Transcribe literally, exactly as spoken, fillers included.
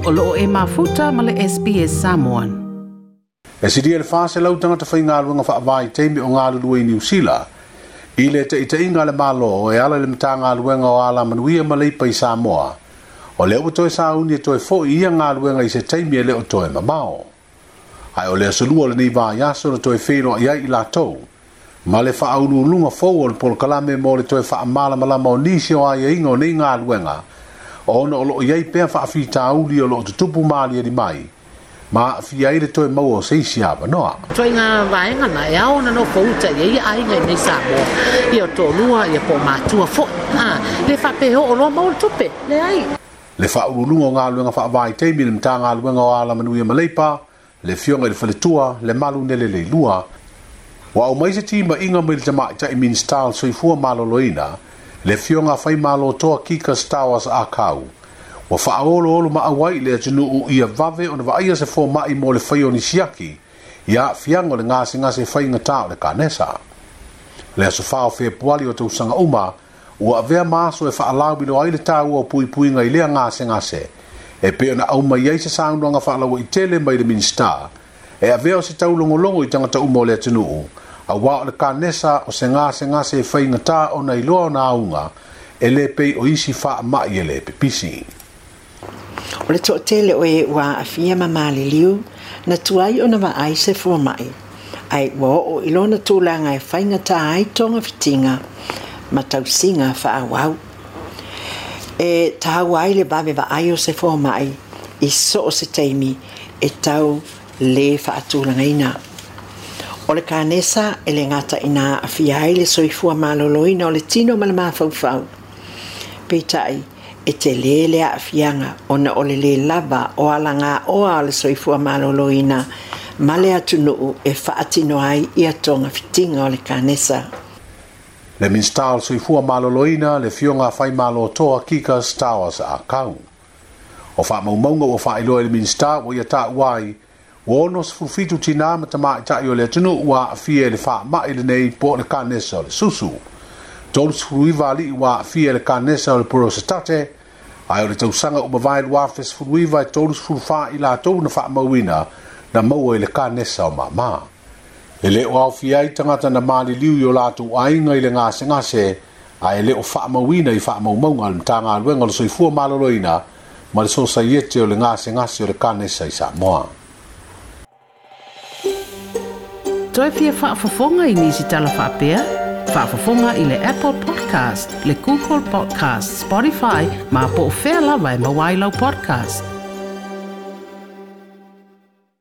O loo e mafuta ma le S B S Samoan. E silia le whaselau tangata whaingaluenga whaavaitaimi o ngalulue i Niu Sila, i le teiteinga le malo e ala le mtanga luenga o ala manuia ma leipa i Samoa. O le ua toe sauni e toe fo i ia ngaluenga i se taimi e le o toe mamao. Ai o le asolua le nei vaiaso na toe whenoa i ai i latou. Ma le whaaululunga fou o le polokalame mo le toe whaamalamalama o nisi o ai inga o nei ngaluenga. Ona o loo iai pea whaafitauli o loo tutupu maali ali mai. Ma fia ai le toe maua o seisi avanoa. Toi ngā vaenga na e ao na no fouta i ia ainga i nei Samoa. Ia o tōlua, ia po mātua fo. Ah, le whapeho o loa maua tupe, le ai. Le whaululunga o ngā luenga whaavaitaimi le mtanga luenga o ala manuia maleipa, le fionga i le faletua, le malu nele le lua. Wa o mai se tima inga mai le tamaitai Minista o le Soifua Maloloina, le fionga whai malo toa Kika Stowers a kau. Wa whaolo olo maawai le atunuu ia vave o na vaia se fō mai mo le whai o nisiaki, ia fiango le ngase ngase whai ngata o le kanesa. Le aso whao whea puali o tausanga uma, ua avea maaso e whaalau ilo ai le tāua o pui puinga i lea ngase ngase. E peo na au mai ai se saunanga whaalawa i tele mai le Minista, e avea o se taulongolongo i tangata uma o le atunuu, a wā o le kanesa o se ngase ngase e whai ngata o na iloa o na aunga, e le pei o isi wha mai e le pepisi. O le to'atele o e ua aafia ma maliliu, na tuai ona vaai se foma'i, ae ua oo i lona tulaga e faigatā ai togafitiga ma tausiga faaauau. E taua ai le vave vaai o se foma'i i so o se taimi e tau lē faatulagaina. O le kanesa e le gata ina aafia ai le soifua malōlōina o le tino ma le mafaufau. Peitai, e te lē le aafiaga ona o le lē lava o alagaoa o le soifua malōlōina ma le atunuu e faatino ai ia togafitiga o le kanesa. Le Minista o le Soifua Malōlōina, le fionga whai malo toa Kika Stowers a kau. O whaamaumauga ua faailoa i le Minista ua ia taua ai, ua ono sefulufitu tinā ma tamaitai o le atunuu ua aafia i le faama'i lenei po o le kanesa o le susu. Tolu sefulu iva alii ua aafia i le kanesa o le porosetate, ae o le tausaga ua mavae lua afe sefulu iva e tolu sefulu fā i latou na faamauina na maua i le kanesa o māmā. E le o aofia ai tagata na maliliu i o latou aiga i le gasegase, ae e le o faamauina i faamaumauga a le Matagaluega o le Soifua Malōlōina ma le Sosaiete o le gasegase o le kanesa i Samoa. Toe fia faafofoga i nisi tala faapea? Faafofoga i le Apple Podcast, le Google Podcast, Spotify, ma po o fea lava e maua ai lau podcast.